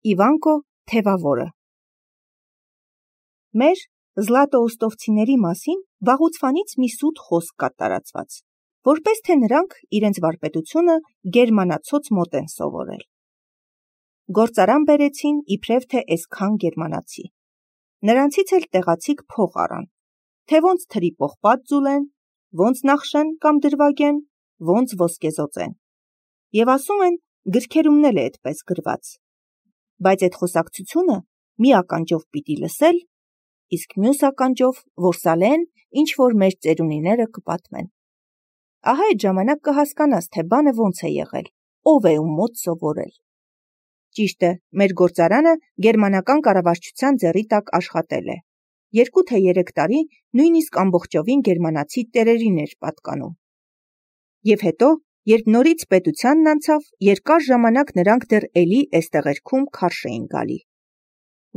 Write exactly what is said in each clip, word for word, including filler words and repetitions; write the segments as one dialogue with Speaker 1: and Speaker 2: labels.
Speaker 1: Իվանկո թևավորը Մեր զլատոուստովցիների մասին վաղուց մի սուտ խոսք կա տարածված, որպես թե նրանք իրենց վարպետությունը գերմանացոց մոտ են սովորել։ Գործարան բերեցին իբրև թե էսքան գերմանացի։ Նրանցից էլ տեղացիք փող առան, թե ոնց թրի պողպատ ձուլեն, ոնց նախշեն կամ դրվագեն, ոնց ոսկեզօծեն։ Եվ ասում են, գրքերումն էլ է այդպես գրված։ Բայց այդ խոսակցությունը մի ականջով պիտի լսել, իսկ մյուս ականջով որսալեն, ինչ որ մեր ծերունիները կպատմեն։ Ահա այդ ժամանակ կհասկանաս, թե բանը ոնց է եղել, ով է ում մոտ սովորել։ Ճիշտ է, մեր գործարանը գերմանական կառավարչության ձեռի տակ աշխատել է։ Երկու թե երեք տարի նույնիսկ ամբողջովին գերմանացի տերերին էր պատկանում։ Եվ հետո, երբ նորից պետությանն անցավ, երկար ժամանակ նրանք դեռ էլի էստեղերքում քարշ էին գալի։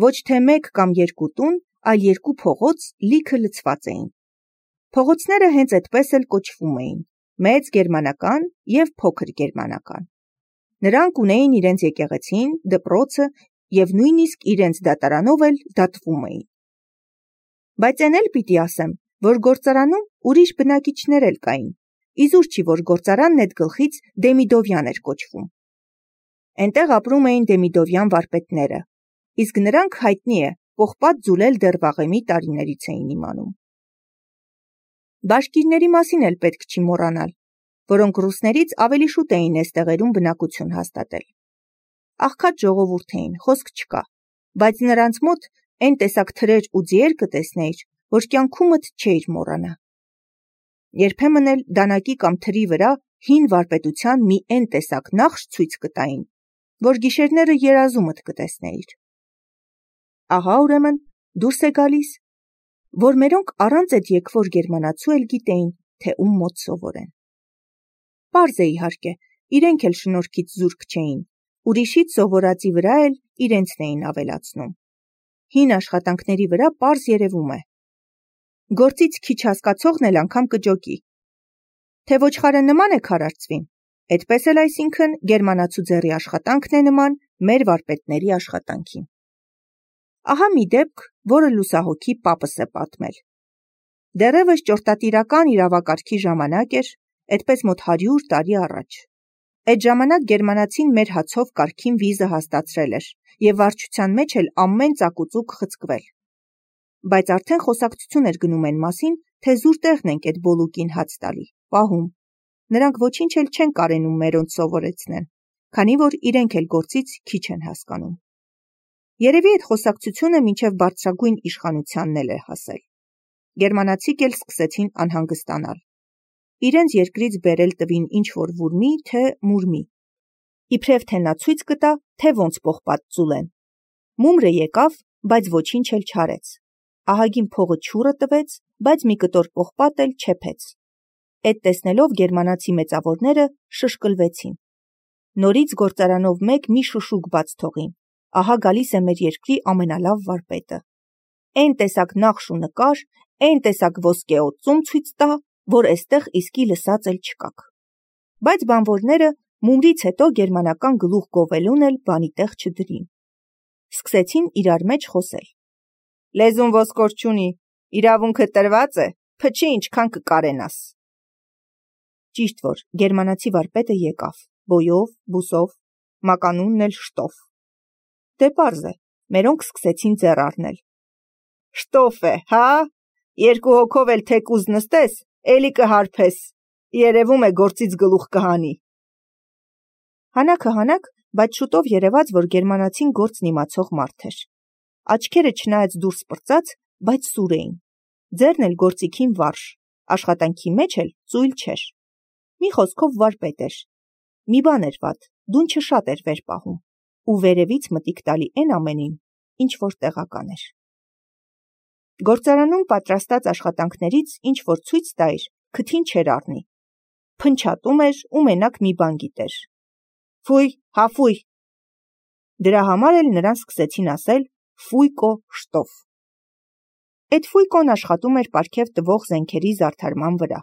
Speaker 1: Ոչ թե մեկ կամ երկու տուն, այլ երկու փողոց լիքը լցված էին։ Փողոցները հենց այդպես էլ կոչվում էին՝ մեծ գերմանական և փոքր գերմանական։ Նրանք ունեին իրենց եկեղեցին, դպրոցը և նույնիսկ իրենց դատարանով էլ դատվում էին։ Բայց էն էլ պիտի ասեմ, որ գործարանում ուրիշ բնակիչներ էլ կային, իզուր չի, որ գործարանն էդ գլխից Դեմիդովյան էր կոչվում։ Էնտեղ ապրում էին Դեմիդովյան վարպետները, իսկ նրանք հայտնի է, պողպատ ձուլել դեռ վաղեմի տարիներից էին իմանում։ Բաշկիրների մասին էլ պետք չի մոռանալ, որոնք ռուսներից ավելի շուտ էին էստեղերում բնակություն հաստատել։ Աղքատ ժողովուրդ էին, խոսք չկա, բայց նրանց մոտ այն տեսակ թրեր ու ձիեր կտեսնեիր, որ կյանքումդ չէիր մոռանա։ Երբեմն էլ դանակի կամ թրի վրա հին վարպետության մի էն տեսակ նախշ ցույց կտային, որ գիշերները երազումդ կտեսնեիր։ Ահա ուրեմն դուրս է գալիս, որ մերոնք առանց այդ եկվոր գերմանացու էլ գիտեին, թե ում մոտ սովորեն։ Պարզ է իհարկե, իրենք էլ շնորհքից զուրկ չէին, ուրիշից սովորածի վրա էլ իրենցն էին ավելացնում։ Հին աշխատանքների վրա պարզ երևում է։ Գործից քիչ հասկացողն էլ անգամ կջոկի, թե ոչխարը նման է քարարծվին, այդպես էլ այսինքն գերմանացու ձեռի աշխատանքն է նման մեր վարպետների աշխատանքին։ Ահա մի դեպք, որը լուսահոգի պապս է պատմել։ Դեռևս ճորտատիրական իրավակարգի ժամանակ էր, այդպես մոտ հարյուր տարի առաջ։ Այդ ժամանակ գերմանացին մեր հացով կարգին վիզը հաստացրել էր և վարչության մեջ էլ ամեն ծակուծուկ խցկվել։ Բայց արդեն խոսակցություն էր գնում այն մասին, թե զուր տեղն ենք այդ բոլուկին հաց տալի, պահում։ Նրանք ոչինչ էլ չեն կարենում մերոնց սովորեցնեն, քանի որ իրենք էլ գործից քիչ են հասկանում։ Երևի այդ խոսակցությունը մինչև բարձրագույն իշխանությանն էլ է հասել։ Գերմանացիք էլ սկսեցին անհանգստանալ։ Իրենց երկրից բերել տվին ինչ-որ վուրմի, թե մուրմի։ Իբրև թե նա ցույց կտա, թե ոնց պողպատ ձուլեն։ Մումրը եկավ, բայց ոչինչ էլ չարեց։ Ահագին փողը չուրը տվեց, բայց մի կտոր պողպատ էլ չեփեց։ Էդ տեսնելով գերմանացի մեծավորները շշկլվեցին։ Նորից գործարանով մեկ մի շշուկ բաց թողին։ Ահա գալիս է մեր երկրի ամենալավ վարպետը։ Էն տեսակ նախշ ու նկար, էն տեսակ ոսկեօծում ցույց տա, որ էստեղ իսկի լսած էլ չկաք։ Բայց բանվորները մումրից հետո գերմանական գլուխ գովելուն էլ բանի տեղ չդրին։ Սկսեցին իրար մեջ խոսել։ Լեզուն ոսկոր չունի, իրավունքը տրված է, փչի ինչքան կկարենաս։ Ճիշտ որ գերմանացի վարպետը եկավ, բոյով, բուսով, մականունն էլ շտով։ Դե պարզ է, մերոնք սկսեցին ձեռ առնել։ Շտոֆ է, հա, երկու հոգով էլ թեկուզ նստես, էլի կհարբես, երևում է գործից գլուխ կհանի։ Հանաքը հանակ, բայց շուտով երևաց, որ գերմանացին գործն իմացող մարդ էր։ Աչքերը չնայած դուրս պրծած, բայց սուր էին։ Ձեռն էլ գործիքին վարժ, աշխատանքի մեջ էլ ծույլ չէր։ Մի խոսքով վարպետ էր։ Մի բան էր վատ, դունչը շատ էր վեր պահում ու վերևից մտիկ տալի էն ամենին, ինչ որ տեղական էր։ Գործարանում պատրաստած աշխատանքներից ինչ որ ցույց տայր, քթին չէր առնի։ Փնչատում էր ու մենակ մի բան գիտեր։ Ֆույ, հա ֆույ։ Դրա համար էլ նրան սկսեցին ասել ֆույկո շտոֆ։ Այդ ֆույկոն աշխատում էր պարգև տվող զենքերի զարդարման վրա։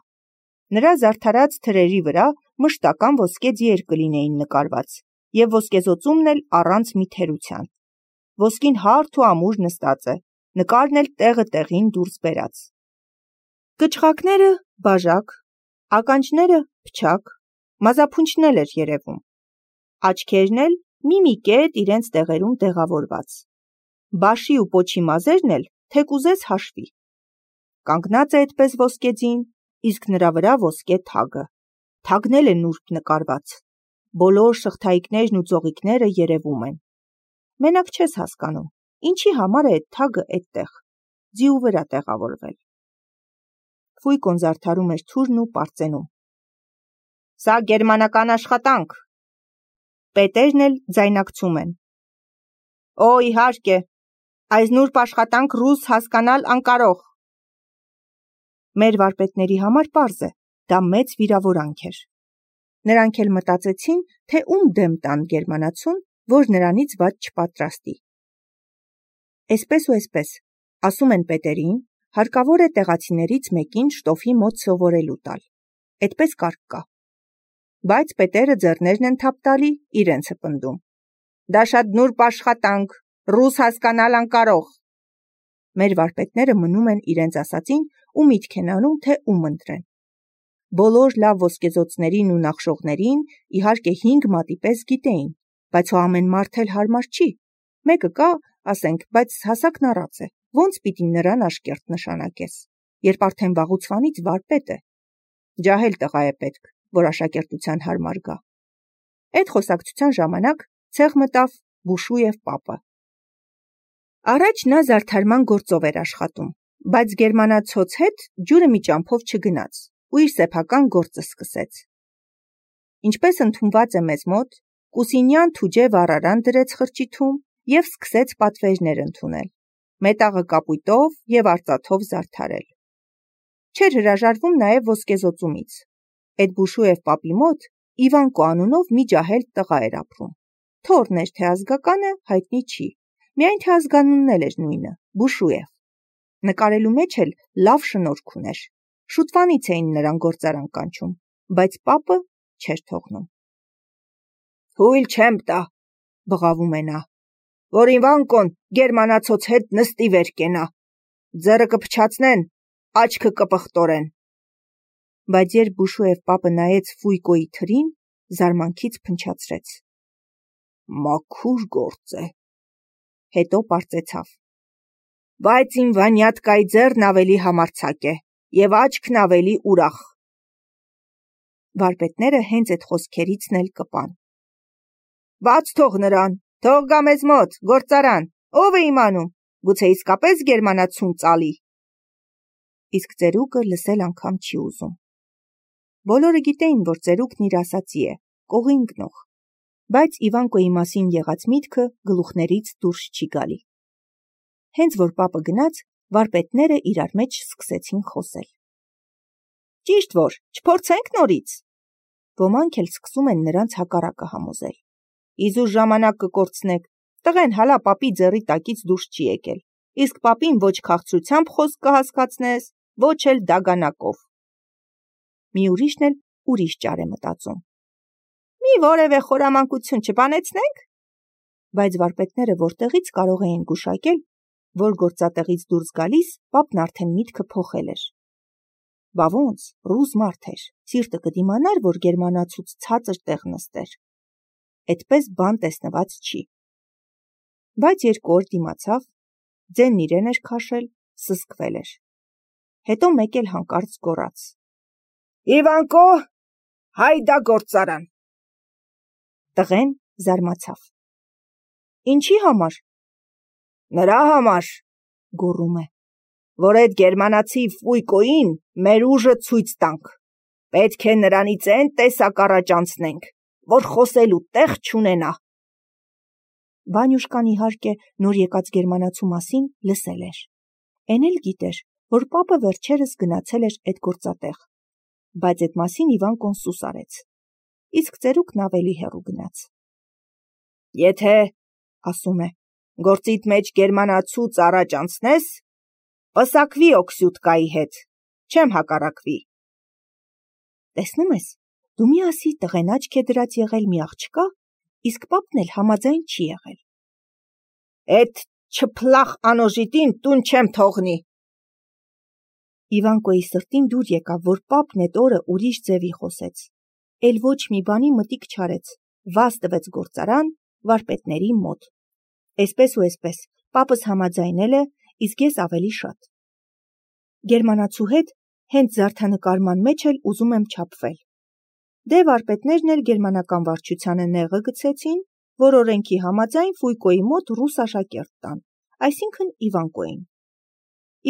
Speaker 1: Նրա զարդարած թրերի վրա մշտական ոսկե ձիեր կլինեին նկարված, և ոսկեզօծումն էլ առանց մի թերության։ Ոսկին հարթ ու ամուր նստած է, նկարն էլ տեղը տեղին դուրս բերած։ Կչղակները բաժակ, ականջները փչակ, մազափունչն էլ էր երևում, աչքերն էլ մի-մի կետ իրենց տեղերում տեղավորված, բաշի ու պոչի մազերն էլ թեկուզես հաշվի։ Կանգնած է այդպես ոսկեձին, իսկ նրա վրա ոսկե թագը, թագն էլ է նուրբ նկարված, բոլոր շղթայիկներն ու ծողիկները երևում են։ Մենակ չես հասկանում, ինչի համար է այդ թագը այդտեղ, ձիու վրա տեղավորվել։ Ֆույկոն զարդարում էր թուրն ու պարծենում. Սա գերմանական աշխատանք։ Պետերն էլ ձայնակցում են. Օ, իհարկե, այս նուրբ աշխատանք ռուս հասկանալ անկարող։ Մեր վարպետների համար պարզ է, դա մեծ վիրավորանք էր։ Նրանք էլ մտածեցին, թե ում դեմ տան գերմանացուն, որ նրանից վատ չպատրաստի։ Էսպես ու էսպես, ասում են պետերին, հարկավոր է տեղացիներից մեկին շտոֆի մոտ սովորելու տալ, այդպես կարգ կա։ Բայց պետերը ձեռներն են թափ տալի, իրենցը պնդում. Դա շատ նուրբ աշխատանք, ռուս հասկանալ անկարող։ Մեր վարպետները մնում են իրենց ասածին ու միտք են անում, թե ում ընտրեն։ Բոլոր լավ ոսկեզօծներին ու նախշողներին իհարկե հինգ մատի պես գիտեին, բայց հո ամեն մարդ էլ հարմար չի։ Մեկը կա, ասենք, բայց հասակն առած է, ոնց պիտի նրան աշկերտ նշանակես, երբ արդեն վաղուցվանից վարպետ է։ Ջահել տղա է պետք, որ աշակերտության հարմար գա։ Այդ խոսակցության ժամանակ ցեղ մտավ Բուշուև պապը։ Առաջ նա զարդարման գործով էր աշխատում, բայց գերմանացոց հետ ջուրը մի ճամփով չգնաց ու իր սեփական գործը սկսեց։ Ինչպես ընդունված է մեզ մոտ, Կուսինյան թուջե վառարան դրեց խրճիթում և սկսեց պատվերներ ընդունել, մետաղը կապույտով և արծաթով զարդարել։ Չէր հրաժարվում նաև ոսկեզօծումից։ Այդ Բուշուև պապի մոտ Իվանկո անունով մի ջահել տղա էր ապրում։ Թոռն էր, թե ազգականը հայտնի չի, միայն թե ազգանունն էլ էր նույնը՝ Բուշուև։ Նկարելու մեջ էլ լավ շնորհք ուներ։ Շուտվանից էին նրան գործարան կանչում, բայց պապը չէր թողնում։ Հույլ չեմ տա, բղավում է նա, որ Իվանկոն գերմանացոց հետ նստի վեր կենա, ձեռը կփչացնեն, աչքը կպղտորեն։ Բայց երբ Բուշուև պապը նայեց Ֆույկոյի թրին, զարմանքից փնչացրեց. Մաքուր գործ է։ Հետո պարծեցավ. Բայց իմ Վանյատկայի ձեռն ավելի համարձակ է և աչքն ավելի ուրախ։ Վարպետները հենց այդ խոսքերիցն էլ կպան։ Բաց թող նրան, թող գա մեզ մոտ, գործարան, ով է իմանում, գուցե իսկապես գերմանացուն ծալի։ Իսկ ծերուկը լսել անգամ չի ուզում։ Բոլորը գիտեին, որ ծերուկն իր ասածի է, կողին գնող, բայց Իվանկոյի մասին եղած միտքը գլուխներից դուրս չի գալի։ Հենց որ պապը գնաց, վարպետները իրար մեջ սկսեցին խոսել։ Ճիշտ որ, չփորձենք նորից։ Ոմանք էլ սկսում են նրանց հակառակը համոզել։ Իզուր ժամանակ կկորցնեք, տղեն հալա պապի ձեռի տակից դուրս չի եկել, իսկ պապին ոչ քաղցրությամբ խոսք կհասկացնես, ոչ էլ դագանակով։ Մի ուրիշն էլ ուրիշ ճար է մտածում։ Մի որևէ խորամանկություն չբանեցնենք։ Բայց վարպետները որտեղից կարող էին գուշակել, որ գործատեղից դուրս գալիս պապն արդեն միտքը փոխել էր։ Բա ոնց, ռուս մարդ էր, սիրտը կդիմանար, որ գերմանացուց ցածր տեղ նստեր։ Այդպես բան տեսնված չի։ Բայց երկու օր դիմացավ, ձենն իրեն էր քաշել, սզկվել էր։ Հետո մեկ էլ հանկարծ գոռաց. Իվանկո, հայդա գործարան։ Տղեն զարմացավ։ Ինչի համար։ Նրա համար, գոռում է, որ այդ գերմանացի Ֆույկոյին մեր ուժը ցույց տանք։ Պետք է նրանից այն տեսակ առաջ անցնենք, որ խոսելու տեղ չունենա։ Վանյուշկան իհարկե նոր եկած գերմանացու մասին լսել էր։ Էն էլ գիտեր, որ պապը վերջերս գնացել էր այդ գործատեղ, բայց այդ մասին Իվանկոն սուս արեց, իսկ ծերուկն ավելի հեռու գնաց։ Եթե, ասում է, գործիդ մեջ գերմանացուց առաջ անցնես, պսակվի Օքսյուտկայի հետ, չեմ հակառակվի։ Տեսնում ես, դու մի ասի տղեն աչք է դրած եղել մի աղջկա, իսկ պապն էլ համաձայն չի եղել։
Speaker 2: Էդ չփլախ անոժիտին տուն չեմ թողնի։
Speaker 1: Իվանկոյի սրտին դուր եկավ, որ պապն էդ օրը ուրիշ ձևի խոսեց, էլ ոչ մի բանի մտիկ չարեց, վազ տվեց գործարան վարպետների մոտ։ Էսպես ու էսպես պապս համաձայնել է, իսկ ես ավելի շատ։ Գերմանացու հետ հենց զարդանկարման մեջ էլ ուզում եմ չափվել։ Դե վարպետներն էլ գերմանական վարչությանը նեղը գցեցին, որ օրենքի համաձայն Ֆույկոյի մոտ ռուս աշակերտ տան, այսինքն Իվանկոյին։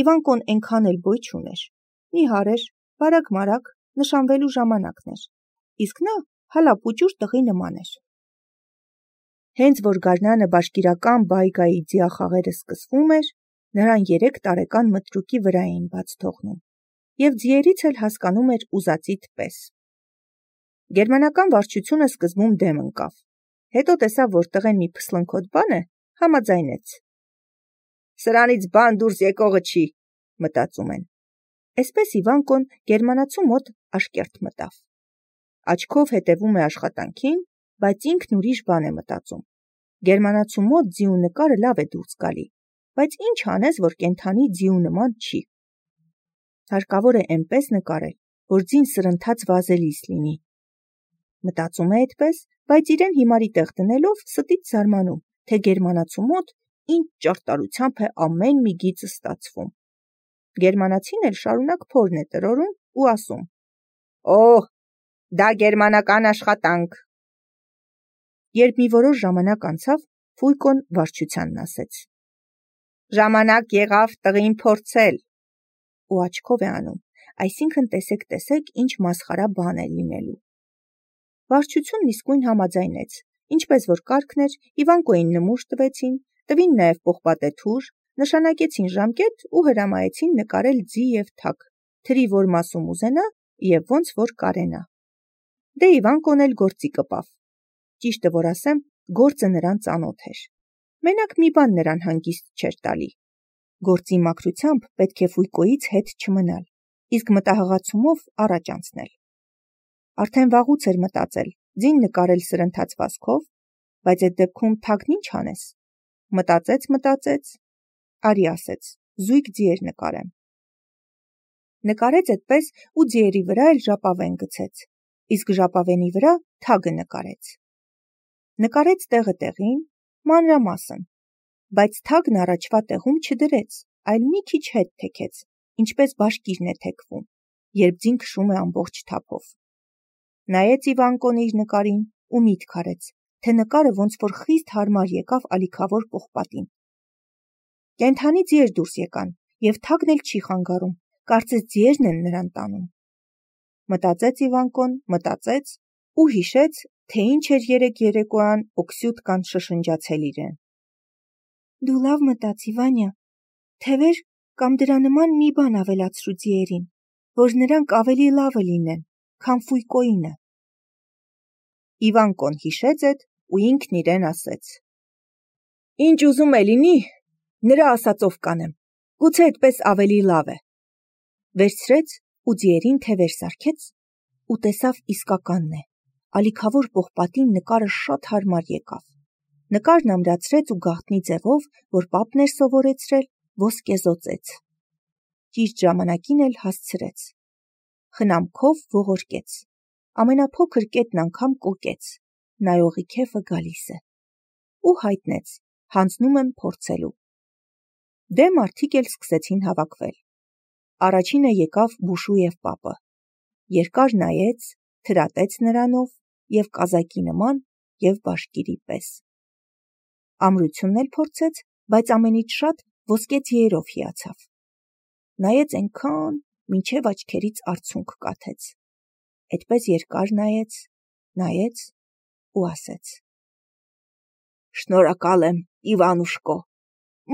Speaker 1: Իվանկոն այնքան էլ բոյ չուներ, նիհար էր, բարակ-մարակ, նշանվելու ժամանակն էր, իսկ նա հալապուճուր տղի նման էր։ Հենց որ գարնանը բաշկիրական բայգայի ձիախաղերը սկսվում էր, նրան երեք տարեկան մտրուկի վրա էին բաց թողնում, և ձիերից էլ հասկանում էր ուզածիդ պես։ Գերմանական վարչությունը սկզբում դեմ ընկավ, հետո տեսավ, որ տղեն մի փսլնքոտ բան է, համաձայնեց։
Speaker 2: Սրանից բան դուրս եկողը չի, մտածում են։
Speaker 1: Էսպես Իվանկոն գերմանացու մոտ աշկերտ մտավ։ Աչքով հետևում է աշխատանքին, բայց ինքն ուրիշ բան է մտածում։ Գերմանացու մոտ ձիու նկարը լավ է դուրս գալի, բայց ինչ անես, որ կենդանի ձիու նման չի։ Հարկավոր է այնպես նկարել, որ ձին սրընթաց վազելիս լինի։ Մտածում է այդպես, բայց իրեն հիմարի տեղ դնելով ստից զարմանում, թե գերմանացու մոտ ինչ ճարտարությամբ է ամեն մի գիծը ստացվում։ Գերմանացին էլ շարունակ փորն է տրորում ու ասում.
Speaker 2: Օհ, դա գերմանական աշխատանք։
Speaker 1: Երբ մի որոշ ժամանակ անցավ, Ֆույկոն վարչությանն ասեց.
Speaker 2: Ժամանակ եղավ տղին փորձել։
Speaker 1: Ու աչքով է անում, այսինքն տեսեք, տեսեք, ինչ մասխարա բան է լինելու։ Վարչությունն իսկույն համաձայնեց, ինչպես որ կարգն էր, Իվանկոյին նմուշ տվեցին, տվին նաև պողպատե թուր, նշանակեցին ժամկետ ու հրամայեցին նկարել ձի և թագ, թրի որ մասում ուզենա և ոնց որ կարենա։ Դե Իվանկոն էլ գործի կպավ։ Ճիշտը որ ասեմ, գործը նրան ծանոթ էր։ Մենակ մի բան նրան հանգիստ չէր տալի։ Գործի մաքրությամբ պետք է Ֆույկոյից հետ չմնալ, իսկ մտահղացումով առաջ անցնել։ Արդեն վաղուց էր մտածել, ձին նկարել սրընթաց վազքով, բայց այդ դեպքում թագն ինչ անես։ Մտածեց, մտածեց, արի ասեց, զույգ ձիեր նկարեմ։ Նկարեց այդպես ու ձիերի վրա էլ ժապավեն գցեց, իսկ ժապավենի վրա թագը նկարեց։ Նկարեց տեղը տեղին, մանրամասն, բայց թագն առաջվա տեղում չդրեց, այլ մի քիչ հետ թեքեց, ինչպես բաշկիրն է թեքվում, երբ ձին քշում է ամբողջ թափով։ Նայեց Իվանկոն իր նկարին ու միտք արեց, թե նկարը ոնց որ խիստ հարմար եկավ ալիքավոր պողպատին։ Կենդանի ձիեր դուրս եկան, և թագն էլ չի խանգարում, կարծես ձիերն են նրան տանում։ Մտածեց Իվանկոն, մտածեց ու հիշեց, թե ինչ էր երեկ երեկոյան Օքսյուտկան շշնջացել իրեն։ Դու լավ մտածի, Վանյա, թևեր կամ դրա նման մի բան ավելացրու ձիերին, որ նրանք ավելի լավը լինեն, քան Ֆույկոյինը։ Իվանկոն հիշեց էդ ու ինքն իրեն ասեց.
Speaker 2: Ինչ ուզում է լինի, նրա ասածով կանեմ, գուցե այդպես ավելի լավ է։
Speaker 1: Վերցրեց ու ձիերին թևեր սարքեց ու տեսավ իսկականն է, ալիքավոր պողպատին նկարը շատ հարմար եկավ։ Նկարն ամրացրեց ու գաղտնի ձևով, որ պապն էր սովորեցրել, ոսկեզօծեց։ Ճիշտ ժամանակին էլ հասցրեց։ Խնամքով ողորկեց, ամենափոքր կետն անգամ կոկեց, նայողի քեֆը գալիս է։ Ու հայտնեց, հանձնում եմ փորձելու։ Դե մարդիկ էլ սկսեցին հավաքվել։ Առաջինը եկավ Բուշուև պապը։ Երկար նայեց, թրատեց նրանով և կազակի նման և բաշկիրի պես։ Ամրությունն էլ փորձեց, բայց ամենից շատ ոսկե ձիերով հիացավ։ Նայեց այնքան, մինչև աչքերից արցունք կաթեց։ Էդպես երկար նայեց, նայեց ու ասեց.
Speaker 2: Շնորհակալ եմ, Իվանուշկո,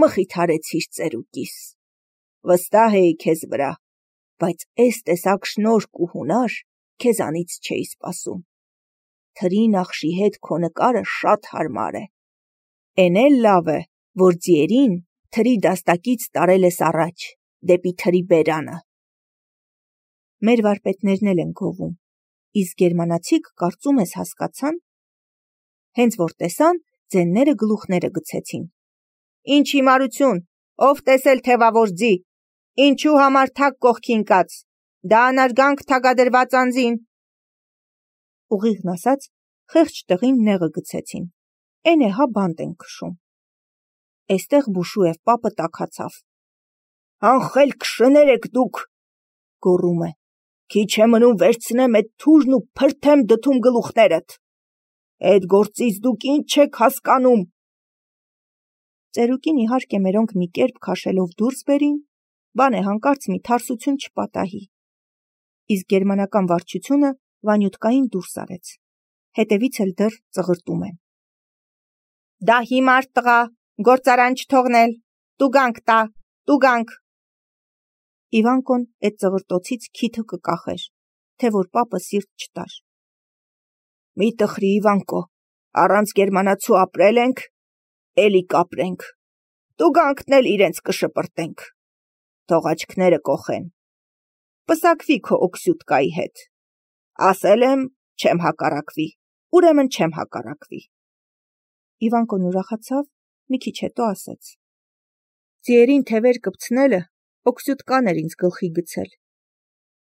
Speaker 2: մխիթարեցիր ծերուկիս։ Վստահ էի քեզ վրա, բայց էս տեսակ շնորհք ու հունար քեզանից չէի սպասում։ Թրի նախշի հետ քո նկարը շատ հարմար է։ Էն էլ լավ է, որ ձիերին թրի դաստակից տարել ես առաջ, դեպի թրի բերանը։
Speaker 1: Մեր վարպետներն էլ են գովում, իսկ գերմանացիք կարծում ես հասկացան։ Հենց որ տեսան, ձենները գլուխները գցեցին։ Ինչ հիմարություն, ով տեսել թևավոր ձի, ինչու համար թակ կողքին կաց, դա անարգանք թագադրված անձին։ Ուղիղն ասած, խեղճ տղին նեղը գցեցին, էն է հա բանտ են քշում։ Էստեղ Բուշուև պապը տաքացավ։ Անխել քշներ եք դուք, գոռում է, քիչ է մնում վերցնեմ էդ թուրն ու փրթեմ դդում գլուխներդ։ Էդ գործից դուք ինչ եք հասկանում։ Ծերուկին իհարկե մերոնք մի կերպ քաշելով դուրս բերին, բան է հանկարծ մի թարսություն չպատահի։ Իսկ գերմանական վարչությունը Վանյութկային դուրս արեց, հետևից էլ դեռ ծղրտում են։ Դա հիմար տղա, գործարան չթողնել, տուգանք տա, տուգանք։ Իվանկոն այդ ծղրտոցից քիթը կկախեր, թե որ պապը սիրտ չտար։ Մի տխրի Իվանկո, առանց գերմանացու ապրել ենք, էլի կապրենք, տուգանքն էլ իրենց կշպրտենք, թող աչքները կոխեն, պսակվի քո օքսյուտկայի հետ, ասել եմ չեմ հակառակվի, ուրեմն չեմ հակառակվի։ Իվանկոն ուրախացավ, մի քիչ հետո ասեց. Ձիերին թևեր կպցնելը օքսյուտկան էր ինձ գլխի գցել։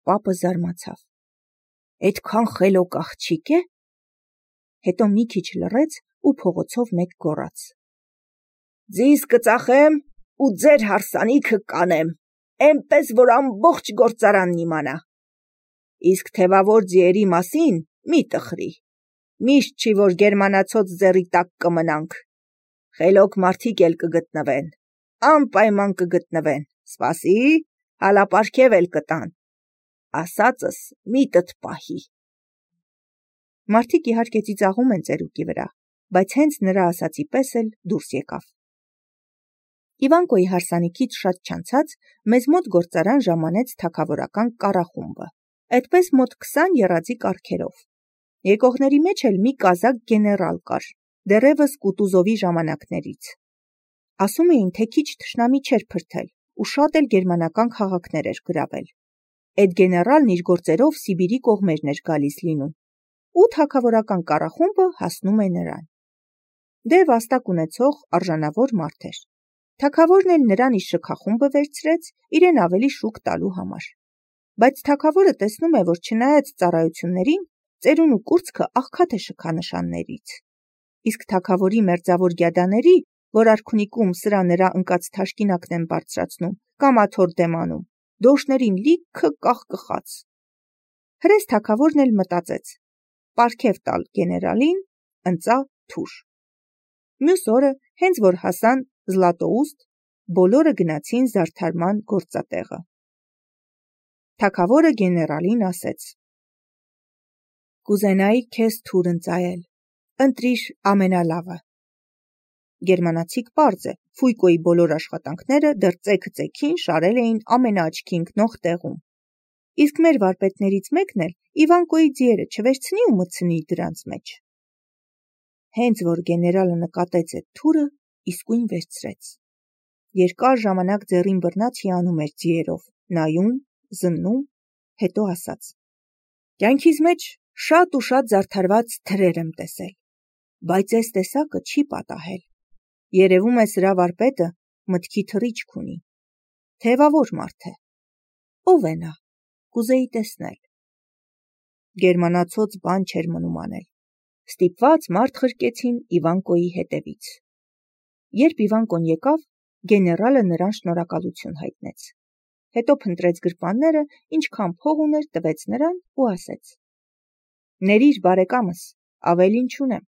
Speaker 1: Պապը զարմացավ. Էդքան խելոք աղջիկ է։ Հետո մի քիչ լռեց ու փողոցով մեկ գոռաց. Ձիզ կծախեմ ու ձեր հարսանիքը կանեմ, էնպես որ ամբողջ գործարանն իմանա։ Իսկ թևավոր ձիերի մասին մի տխրի, միշտ չի որ գերմանացոց ձեռի տակ կմնանք։ Խելոք մարդիկ էլ կգտնվեն, անպայման կգտնվեն, սպասի, հալապարգև էլ կտան, ասածս միտդ պահի։ Մարդիկ իհարկե ծիծաղում են ծերուկի վրա, բայց հենց նրա ասացի պես էլ դուրս եկավ։ Իվանկոյի հարսանիքից շատ չանցած մեզ մոտ գործարան ժամանեց թագավորական կառախումբը, այդպես մոտ քսան եռացի կառքերով։ Եկողների մեջ էլ մի կազակ գեներալ կար, դեռևս Կուտուզովի ժամանակներից։ Ասում էին, թե քիչ թշնամի չէր փրթել ու շատ էլ գերմանական քաղաքներ էր գրավել։ Այդ գեներալն իր գործերով Սիբիրի կողմերն էր գալիս լինում, ու թագավորական կառախումբը հասնում է նրան։ Դե վաստակ ունեցող արժանավոր մարդ էր։ Թագավորն էլ նրան իր շքախումբը վերցրեց իրեն ավելի շուկ տալու համար։ Բայց թագավորը տեսնում է, որ չնայած ծառայություններին, ծերուն ու կուրծքը աղքատ է շքանշաններից։ Իսկ թագավորի մերձավոր գյադաների, որ արքունիկում սրա նրա ընկած թաշկինակն են բարձրացնում կամ աթոռ դեմ անում, դոշներին լիքը կաղկխած։ Հրես թագավորն էլ մտածեց. պարգև տալ գեներալին, ընծա թուր։ Մյուս օրը, հենց որ հասան Զլատոուստ, բոլորը գնացին զարդարման գործատեղը։ Թագավորը գեներալին ասեց. Կուզենայի քեզ թուր ընծայել, ընտրիր ամենալավը։ Գերմանացիք պարզ է, Ֆույկոյի բոլոր աշխատանքները դեռ ծեքը ծեքին շարել էին ամենաաչքի ընկնող տեղում։ Իսկ մեր վարպետներից մեկն էլ Իվանկոյի ձիերը չվերցնի ու մտցնի դրանց մեջ։ Հենց որ գեներալը նկատեց այդ թուրը, իսկույն վերցրեց։ Երկար ժամանակ ձեռին բռնած հիանում էր ձիերով, նայում, զննում, հետո ասաց. Կյանքիս մեջ շատ ու շատ զարդարված թրեր եմ տեսել, բայց այս տեսակը չի պատահել։ Երևում է սրա վարպետը մտքի թռիչք ունի։ Թևավոր մարդ է։ Ո՞վ է նա, կուզեի տեսնել։ Գերմանացոց բան չէր մնում անել։ Ստիպված մարդ խրկեցին Իվանկոյի հետևից։ Երբ Իվանկոն եկավ, գեներալը նրան շնորհակալություն հայտնեց։ Հետո փնտրեց գրպանները, ինչքան փող ուներ, տվեց նրան ու ասեց. Ներիր բարեկամս, ավելին չունեմ,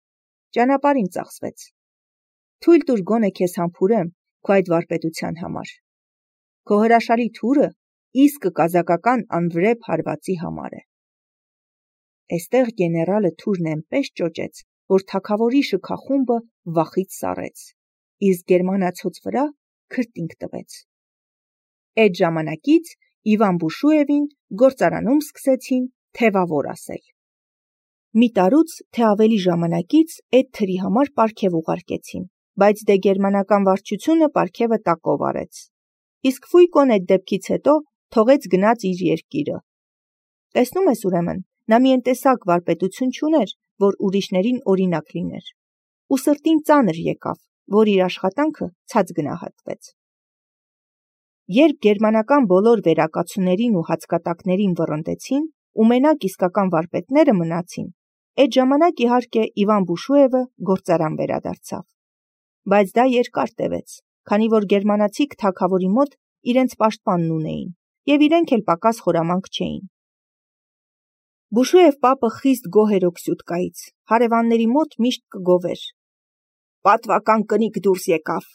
Speaker 1: ճանապարհին ծախսվեց։ Թույլ տուր գոնե քեզ համբուրեմ քո այդ վարպետության համար։ Քո հրաշալի թուրը իսկը կազակական անվրեպ հարվածի համար է։ Էստեղ գեներալը թուրն այնպես ճոճեց, որ թագավորի շքախումբը վախից սառեց, իսկ գերմանացոց վրա քրտինք տվեց։ Այդ ժամանակից Իվան Բուշուևին գործարանում սկսեցին թևավոր ասել։ Մի տարուց, թե ավելի ժամանակից այդ թրի համար պարգև ուղարկեցին, բայց դե գերմանական վարչությունը պարգևը տակով արեց։ Իսկ Ֆույկոն այդ դեպքից հետո թողեց գնաց իր երկիրը։ Տեսնում ես ուրեմն, նա մի ընտեսակ վարպետություն չուներ, որ ուրիշներին օրինակ լիներ, ու սրտին ծանր եկավ, որ իր աշխատանքը ցած գնահատվեց։ Երբ գերմանական բոլոր վերակացուներին ու հացկատակներին վռնդեցին ու մենակ իսկական վարպետները մնացին, այդ ժամանակ իհարկե Իվան Բուշուևը գործարան վերադարձավ։ Բայց դա երկար տևեց, քանի որ գերմանացիք թագավորի մոտ իրենց պաշտպանն ունեին, եւ իրենք էլ պակաս խորամանկ չէին։ Բուշուև պապը խիստ գոհ էր օքսյուտկայից, հարևանների մոտ միշտ կգովեր. «Պատվական կնիկ դուրս եկավ,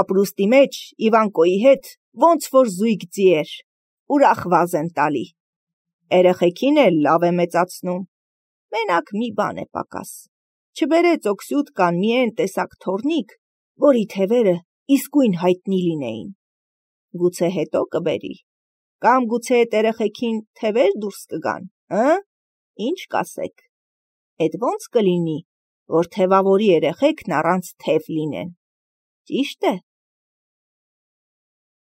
Speaker 1: ապրուստի մեջ Իվանկոյի հետ ոնց որ զույգ ձի էր, ուրախ վազ են տալի, երեխեքին էլ լավ է մեծացնում, մենակ մի բան է պակաս, չբերեց օքսյուտկան մի էն տեսակ թոռնիկ, որի թևերը իսկույն հայտնի լինեին, գուցե հետո կբերի, կամ գուցե էդ երեխեքին թևեր դուրս կգան, հը՞, ինչ կասեք, էդ ոնց կլինի, որ թևավորի երեխեքն առանց թև լինեն, ճիշտ է»։